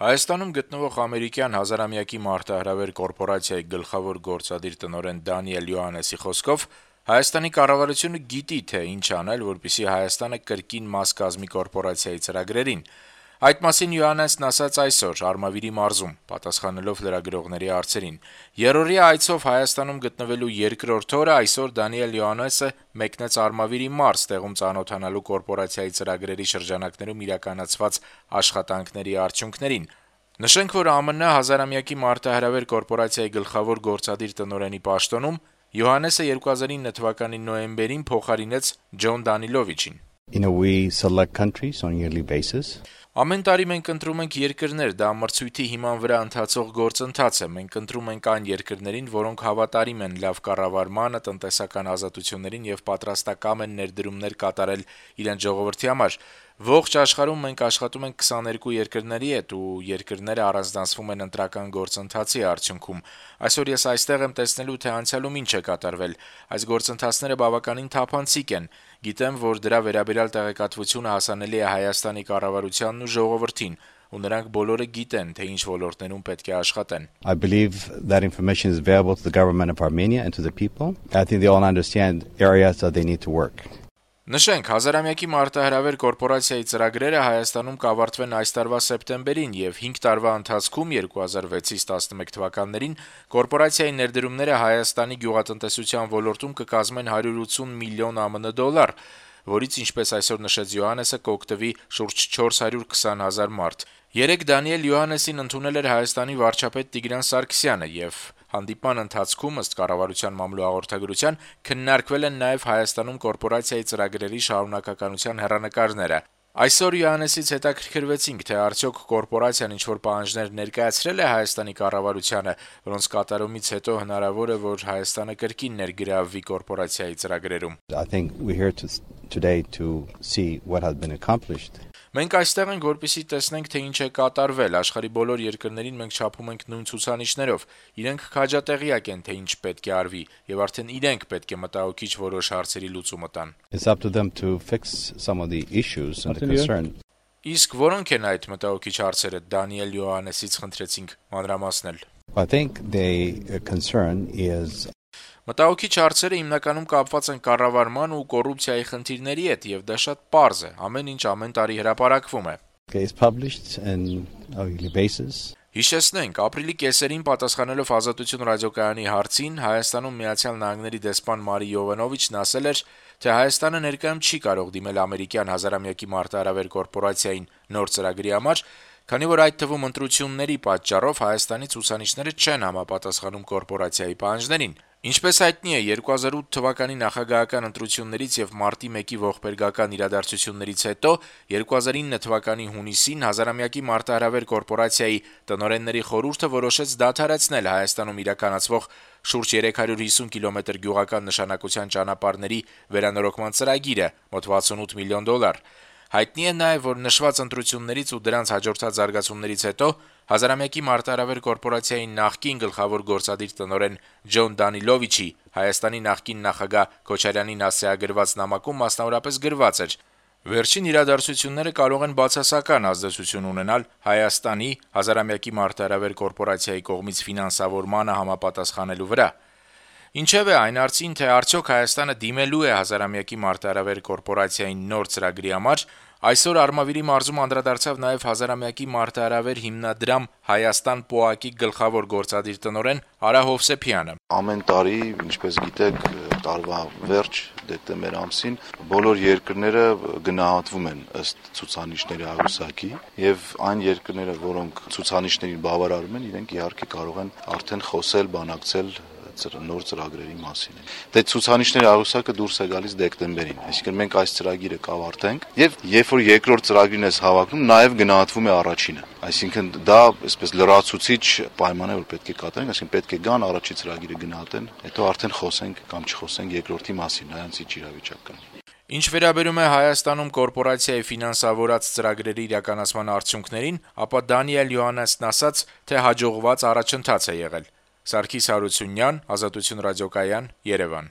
Հայաստանում գտնվող ամերիկյան հազարամյակի մարտահրավեր կորպորացիայի գլխավոր գործադիր տնօրեն Դանիել Յոհաննեսի խոսքով Հայաստանի կառավարությունը գիտի, թե ինչ անել, որպեսզի Հայաստանը կրկին մաս կազմի կորպորացիայի ծրագրերին։ Այդ մասին Յոհաննեսն ասաց այսօր Արմավիրի մարզում, պատասխանելով լրագրողների հարցերին։ Երրորդյա այցով Հայաստանում գտնվելու երկրորդ օրը այսօր Դանիել Յոհաննեսը մեկնեց Արմավիրի մարզ, տեղում ծանոթանալու կորպորացիայի ծրագրերի շրջանակներում իրականացված աշխատանքների արդյունքներին։ Նշենք, որ ԱՄՆ հազարամյակի մարտահրավեր կորպորացիայի գլխավոր գործադիր տնօրենի պաշտոնում Յոհաննեսը 2009 թվականի նոյեմբերին փոխարինեց Ջոն Դանիլովիչին։ Ամեն տարի մենք ընտրում ենք երկրներ, դա մրցույթի հիման վրա ընթացող գործընթաց է։ Մենք ընտրում ենք այն երկրներին, որոնք հավատարիմ են լավ կառավարմանը, տնտեսական ազատություններին եւ պատրաստակամ են ներդրումներ կատարել իրենց ժողովրդի համար։ Ողջ աշխարհում մենք աշխատում ենք 22 երկրների հետ ու երկրները առանձնացվում են ընտրական գործընթացի արդյունքում։ Այսօր ես այստեղ եմ տեսնելու, թե անցյալում ինչ է կատարվել։ Այս գործընթացները բավականին թափանցիկ են։ Գիտեմ, որ դրա վերաբերյալ տեղեկատվությունը հասանելի է Հայաստանի կառավարությանն ու ժողովրդին, ու նրանք բոլորը գիտեն, թե ինչ ոլորտներում պետք է աշխատեն։ I believe that information is available to the government of Armenia and to the people. I think they all understand areas that they need to work. Նշենք, հազարամյակի մարտահրավեր կորպորացիայի ծրագրերը Հայաստանում կավարտվեն այս տարվա սեպտեմբերին եւ 5 տարվա ընթացքում 2006-ից 11 թվականներին կորպորացիայի ներդրումները Հայաստանի գյուղատնտեսության ոլորտում կկազմեն 180 միլիոն ԱՄՆ դոլար, որից, ինչպես այսօր նշեց Յոհաննեսը, կօգտվի շուրջ 420,000 մարդ։ Երեկ Դանիել Յոհաննեսին ընդունել էր Հայաստանի վարչապետ Տիգրան Սարգսյանը եւ հանդիպման ընթացքում ըստ կառավարության մամլո հաղորդագրության քննարկվել են նաեւ Հայաստանում կորպորացիայի ծրագրերի շարունակականության հեռանկարները։ Այսօր Յոհաննեսից հետաքրքրվեցինք, թե արդյոք կորպորացիան ինչ-որ պահանջներ ներկայացրել է Հայաստանի կառավարությանը, որոնց կատարումից հետո հնարավոր է, որ Հայաստանը կրկին ներգրավվի կորպորացիայի ծրագրերում։ I think we're here today to see what has been accomplished. Մենք այստեղ ենք, որպեսզի տեսնենք, թե ինչ է կատարվել։ Աշխարհի բոլոր երկրներին մենք չափում ենք նույն ցուցանիշներով։ Իրենք քաջատեղյակ են, թե ինչ պետք է արվի, եւ արդեն իրենք պետք է մտահոգիչ որոշ հարցերի լուծումը տան։ It's up to them to fix some of the issues and the concern. Իսկ որոնք են այդ մտահոգիչ հարցերը, Դանիել Յոհաննեսից խնդրեցինք մանրամասնել։ I think the concern is Մտահոգիչ հարցերը հիմնականում կապված են կառավարման ու կոռուպցիայի խնդիրների հետ, եւ դա շատ պարզ է։ Ամեն ինչ ամեն տարի հրապարակվում է։ It's published on a yearly basis. Հիշեցնենք, ապրիլի կեսերին պատասխանելով Ազատություն ռադիոկայանի հարցին, Հայաստանում Միացյալ Նահանգների դեսպան Մարի Յովանովիչն ասել էր, թե Հայաստանը ներկայում չի կարող դիմել ամերիկյան հազարամյակի մարտահրավեր կորպորացիային նոր ծրագրի համար, քանի որ այդ թվում ընտրությունների պատճառով Հայաստանի ցուցանիշները չեն համապատասխանում կորպորացիայի պահանջներին։ Ինչպես հայտնի է, 2008 թվականի նախագահական ընտրություններից եւ մարտի 1-ի ողբերգական իրադարձություններից հետո 2009 թվականի հունիսին հազարամյակի մարտահրավեր կորպորացիայի տնօրենների խորհուրդը որոշեց դադարեցնել Հայաստանում իրականացվող շուրջ 350 կիլոմետր գյուղական նշանակության ճանապարհների վերանորոգման ծրագիրը՝ մոտ 68 միլիոն դոլար։ Հայտնի է նաև, որ նշված ընտրություններից ու դրանց հաջորդած զարգացումներից հետո հազարամյակի մարտահրավեր կորպորացիայի նախկին գլխավոր գործադիր տնօրեն Ջոն Դանիլովիչի Հայաստանի նախկին նախագահ Քոչարյանին ասիագրված նամակում մասնավորապես գրված էր. Վերջին իրադարձությունները կարող են բացասական ազդեցություն ունենալ Հայաստանի հազարամյակի մարտահրավեր կորպորացիայի կողմից ֆինանսավորմանը համապատասխանելու վրա։ Ինչևէ, այն հարցին, թե արդյոք Հայաստանը դիմելու է հազարամյակի մարտահրավեր կորպորացիային նոր ծրագրի համար, այսօր Արմավիրի մարզում անդրադարձավ նաև հազարամյակի մարտահրավեր հիմնադրամ Հայաստան ՊՕԱԿ-ի գլխավոր գործադիր տնօրեն Արա Հովսեփյանը։ Ամեն տարի, ինչպես գիտեք, տարվա վերջ դեկտեմբեր ամսին բոլոր երկրները գնահատվում են ըստ ցուցանիշների աղյուսակի եւ այն երկրները, որոնք ցուցանիշներին բավարարում են, իրենք իհարկե կարող են արդեն խոսել, բանակցել նոր ծրագրերի մասին։ Դե ցուցանիշների աղյուսակը դուրս է գալիս դեկտեմբերին, այսինքն մենք այս ծրագիրը կավարտենք եւ երբ որ երկրորդ ծրագրին ես հավակնում, նաեւ գնահատվում է առաջինը։ Այսինքն դա այսպես լրացուցիչ պայման է, որ պետք է կատարենք, այսինքն պետք է գան առաջի ծրագիրը գնահատեն, հետո արդեն խոսենք կամ չխոսենք երկրորդի մասին, նրանց ինչ իրավիճակ կա։ Ինչ վերաբերում է Հայաստանում կորպորացիայի ֆինանսավորած ծրագրերի իրականացման արդյունքներին, ապա Դանիել Յոհաննեսն ասաց, թե հաջողված առաջընթաց է եղել։ Սարգիս Հարությունյան, Ազատություն ռադիոկայան, Երևան։